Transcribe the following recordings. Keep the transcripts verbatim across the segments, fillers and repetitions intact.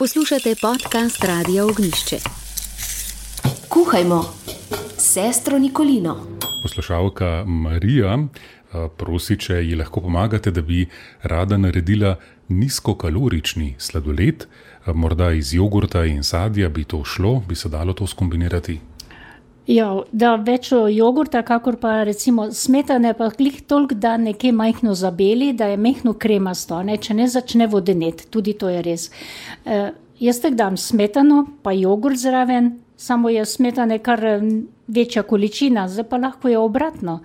Poslušate podcast Radia Ognjišče. Kuhajmo, sestro Nikolino. Poslušalka Marija prosi, če ji lahko pomagate, da bi rada naredila nizkokalorični sladoled. Morda iz jogurta in sadja bi to šlo, bi se dalo to skombinirati? Ja, da več jogurta, kakor pa recimo smetane, pa glih toliko, da nekje majhno zabeli, da je mehno kremasto, ne? Če ne začne vodeneti, tudi to je res. E, jaz tak dam smetano, pa jogurt zraven, samo je smetane kar večja količina, zdaj pa lahko je obratno.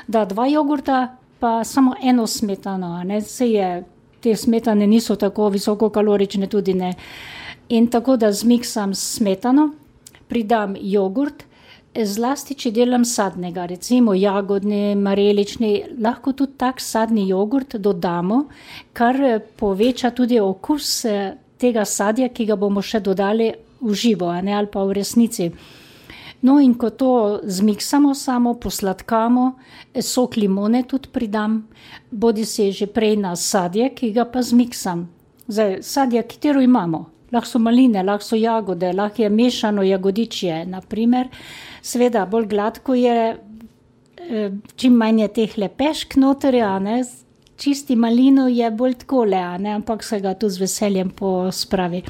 Da dva jogurta, pa samo eno smetano, ne? Se je, te smetane niso tako visokokalorične, tudi ne. In tako da zmiksam smetano, pridam jogurt, zlasti, če delam sadnega, recimo jagodni, marelični, lahko tudi tak sadni jogurt dodamo, kar poveča tudi okus tega sadja, ki ga bomo še dodali v živo, ne, ali pa v resnici. No in ko to zmiksamo samo, posladkamo, sok limone tudi pridam, bodi si že prej na sadje, ki ga pa zmiksam. Zdaj, sadja, katero imamo. Lahko so maline, lahko so jagode, lahko je mešano jagodičje, naprimer. Sveda, bolj gladko je, čim manj je teh lepešk noterja, ne, čisti malino je bolj takole, ne, ampak se ga tu z veseljem pospravi.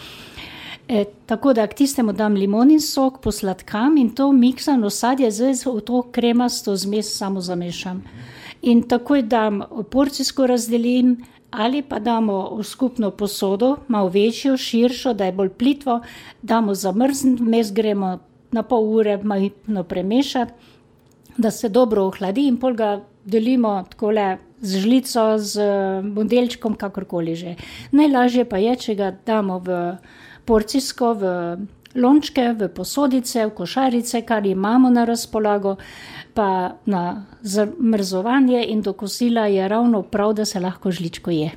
E, tako da k tistemu dam limonin sok, posladkam in to miksano sadje zdaj v to kremasto zmes samo zamešam. In takoj dam porcijsko razdelim, ali pa damo v skupno posodo, malo večjo, širšo, da je bolj plitvo, damo zamrzniti, vmes gremo na pol ure malo premešati, da se dobro ohladi in pol ga delimo takole z žlico, z modelčkom, kakorkoli že. Najlažje pa je, če ga damo v porcijsko, v lončke, v posodice, v košarice, kar imamo na razpolago, pa na zamrzovanje in do kosila je ravno prav, da se lahko žličko je.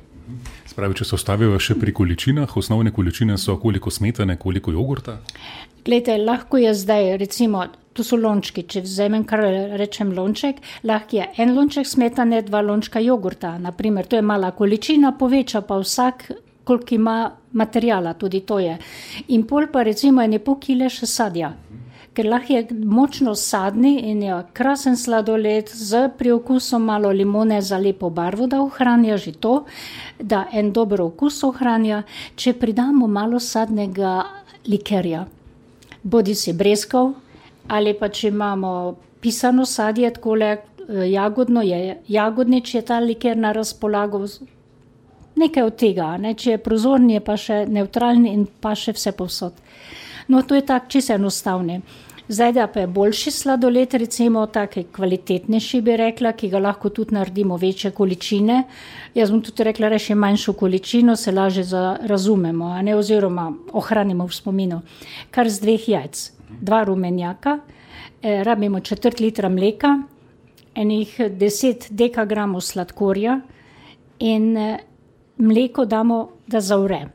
Spravi, če se ostavijo še pri količinah, osnovne količine so koliko smetane, koliko jogurta? Glejte, lahko je zdaj, recimo, tu so lončki, če vzamem kar rečem lonček, lahko je en lonček smetane, dva lončka jogurta, naprimer, to je mala količina, poveča pa vsak, koliko ima materijala, tudi to je. In pol pa recimo ene pol kile še sadja. Ker lahko je močno sadni in je krasen sladoled z priokusom malo limone za lepo barvo, da ohranja že to, da en dober okus ohranja, če pridamo malo sadnega likerja. Bodi si breskov, ali pa če imamo pisano sadje, takole jagodno je, jagodnič je ta liker na razpolago, nekaj od tega, ne? Če je prozorni, je pa še neutralni in pa še vse povsod. No, to je tak čisto enostavne. Zdaj, da pa je boljši sladoled, recimo taki kvalitetnejši bi rekla, ki ga lahko tudi naredimo večje količine. Jaz bom tudi rekla, reši manjšo količino, se laže razumemo, a ne, oziroma ohranimo v spominu. Kar z dveh jajc, dva rumenjaka, eh, rabimo četrt litra mleka, enih deset dekagramov sladkorja in eh, mleko damo, da zavre.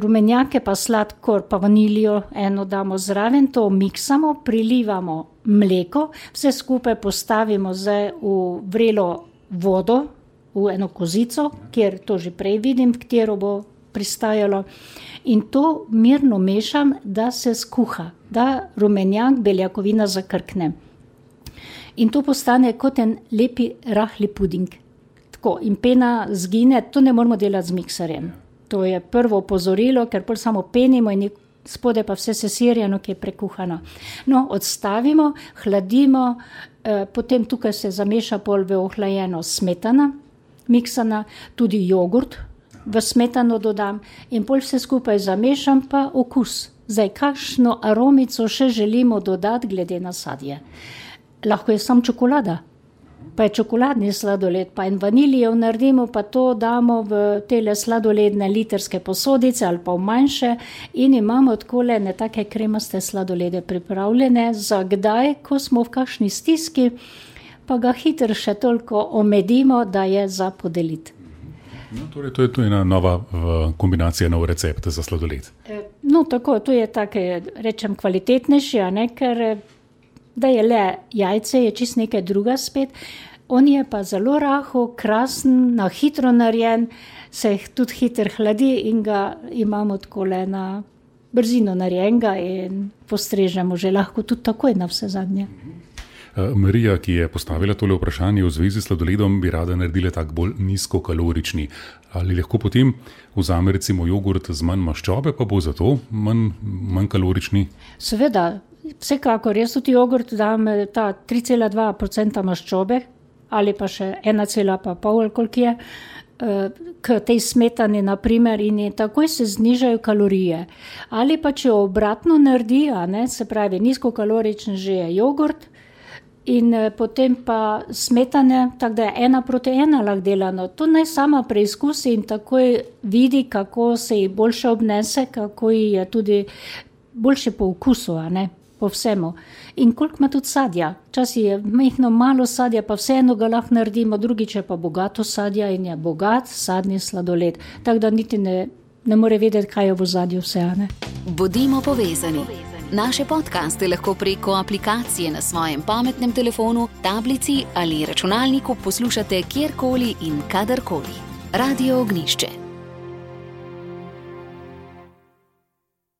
Rumenjake pa sladkor pa vanilijo eno damo zraven, to miksamo, prilivamo mleko, vse skupaj postavimo zdaj v vrelo vodo, v eno kozico, kjer to že prej vidim, katero bo pristajalo. In to mirno mešam, da se skuha, da rumenjak, beljakovina zakrkne. In to postane kot en lepi rahli puding. Tako, in pena zgine, to ne moramo delati z mikserjem. To je prvo opozorilo, ker pol samo penimo in spode pa vse sesirjeno, ki je prekuhano. No, odstavimo, hladimo, eh, potem tukaj se zameša pol v ohlajeno smetana, miksana, tudi jogurt v smetano dodam in pol vse skupaj zamešam pa okus. Zdaj, kakšno aromico še želimo dodati glede na sadje. Lahko je samo čokolada. Pa je čokoladni sladoled, pa in vanilijev naredimo, pa to damo v tele sladoledne literske posodice ali pa v manjše in imamo takole ne take kremaste sladolede pripravljene za kdaj, ko smo v kakšni stiski, pa ga hitro še toliko omedimo, da je za podeliti. No, torej, to je to ena nova kombinacija, nov recept za sladoled. No, tako, to je take, rečem, kvalitetnejši, a ne, ker da je le jajce, je čist nekaj druga spet. On je pa zelo rahel, krasen, na hitro narejen, se tudi hitro hladi in ga imamo takole na brzino narejenega in postrežemo že lahko tudi takoj na vse zadnje. Marija, ki je postavila tole vprašanje v zvezi s sladoledom, bi rada naredila tak bolj nizkokalorični. Ali lahko potem vzame recimo jogurt z manj maščobe, pa bo zato manj, manj kalorični? Seveda, vsekakor, jaz tudi jogurt dam ta tri cela dva odstotka maščobe ali pa še ena cela pa pol, koliko je, k tej smetani naprimer in je, takoj se znižajo kalorije. Ali pa če obratno naredi, a ne, se pravi nizkokaloričen že je jogurt in potem pa smetane, tako da je ena proti ena lahko delano. To naj sama preizkusi in takoj vidi, kako se ji boljše obnese, kako ji je tudi boljše po okusu, a ne, po vsemu. In koliko ima tudi sadja. Včasih je majhno malo sadja, pa vseeno ga lahko naredimo, drugič je pa bogato sadja in je bogat sadni sladoled. Tako da niti ne, ne more vedeti, kaj je v ozadju vse, a ne. Bodimo povezani. Naše podcaste lahko preko aplikacije na svojem pametnem telefonu, tablici ali računalniku poslušate kjerkoli in kadarkoli. Radio Ognišče.